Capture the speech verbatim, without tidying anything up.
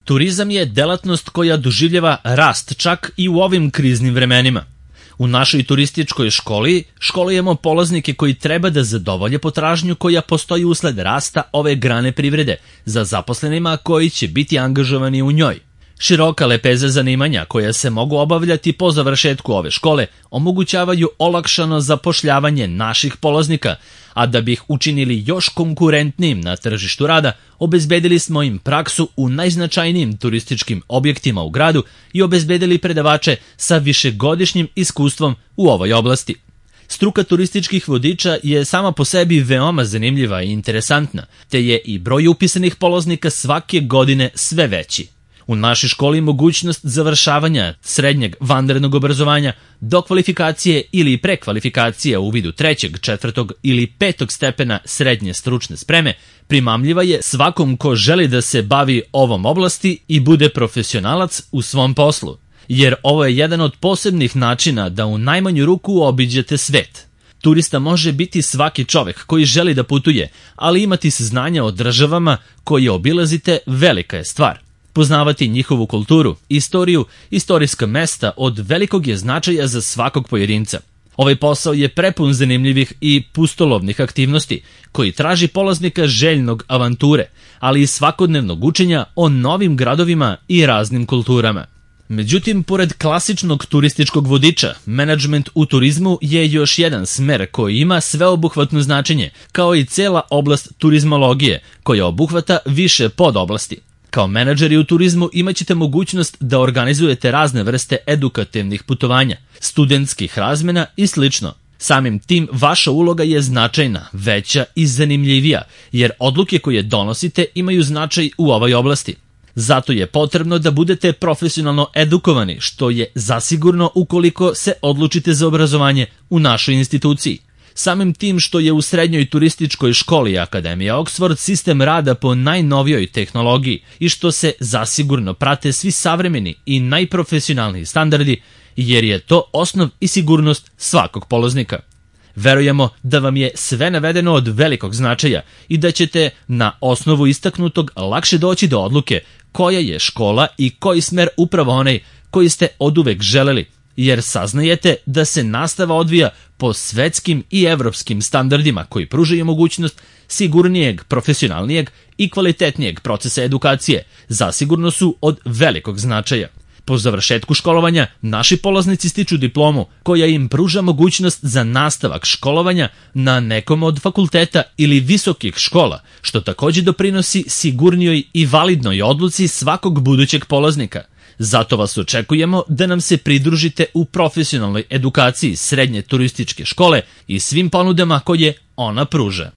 Turizam je delatnost koja doživljava rast čak i u ovim kriznim vremenima. U našoj turističkoj školi školujemo polaznike koji treba da zadovolje potražnju koja postoji usled rasta ove grane privrede za zaposlenima koji će biti angažovani u njoj. Široka lepeza zanimanja koja se mogu obavljati po završetku ove škole omogućavaju olakšano zapošljavanje naših polaznika, a da bi ih učinili još konkurentnijim na tržištu rada, obezbedili smo im praksu u najznačajnijim turističkim objektima u gradu i obezbedili predavače sa višegodišnjim iskustvom u ovoj oblasti. Struka turističkih vodiča je sama po sebi veoma zanimljiva i interesantna, te je i broj upisanih polaznika svake godine sve veći. U našoj školi mogućnost završavanja srednjeg vanrednog obrazovanja, dokvalifikacije ili prekvalifikacije u vidu trećeg, četvrtog ili petog stepena srednje stručne spreme primamljiva je svakom ko želi da se bavi ovom oblasti i bude profesionalac u svom poslu, jer ovo je jedan od posebnih načina da u najmanju ruku obiđete svet. Turista može biti svaki čovek koji želi da putuje, ali imati saznanja o državama koje obilazite velika je stvar. Poznavati njihovu kulturu, istoriju, istorijska mesta od velikog je značaja za svakog pojedinca. Ovaj posao je prepun zanimljivih i pustolovnih aktivnosti koji traži polaznika željnog avanture, ali i svakodnevnog učenja o novim gradovima i raznim kulturama. Međutim, pored klasičnog turističkog vodiča, menadžment u turizmu je još jedan smer koji ima sveobuhvatno značenje, kao i cela oblast turizmologije, koja obuhvata više podoblasti. Kao menadžeri u turizmu imaćete mogućnost da organizujete razne vrste edukativnih putovanja, studentskih razmena i slično. Samim tim vaša uloga je značajna, veća i zanimljivija, jer odluke koje donosite imaju značaj u ovoj oblasti. Zato je potrebno da budete profesionalno edukovani, što je zasigurno ukoliko se odlučite za obrazovanje u našoj instituciji. Samim tim što je u srednjoj turističkoj školi Akademije Oxford sistem rada po najnovijoj tehnologiji i što se zasigurno prate svi savremeni i najprofesionalniji standardi, jer je to osnov i sigurnost svakog polaznika. Verujemo da vam je sve navedeno od velikog značaja i da ćete na osnovu istaknutog lakše doći do odluke koja je škola i koji smer upravo onaj koji ste oduvek želeli, jer saznajete da se nastava odvija po svetskim i evropskim standardima koji pružaju mogućnost sigurnijeg, profesionalnijeg i kvalitetnijeg procesa edukacije, zasigurno su od velikog značaja. Po završetku školovanja, naši polaznici stiču diplomu koja im pruža mogućnost za nastavak školovanja na nekom od fakulteta ili visokih škola, što također doprinosi sigurnijoj i validnoj odluci svakog budućeg polaznika. Zato vas očekujemo da nam se pridružite u profesionalnoj edukaciji srednje turističke škole i svim ponudama koje ona pruža.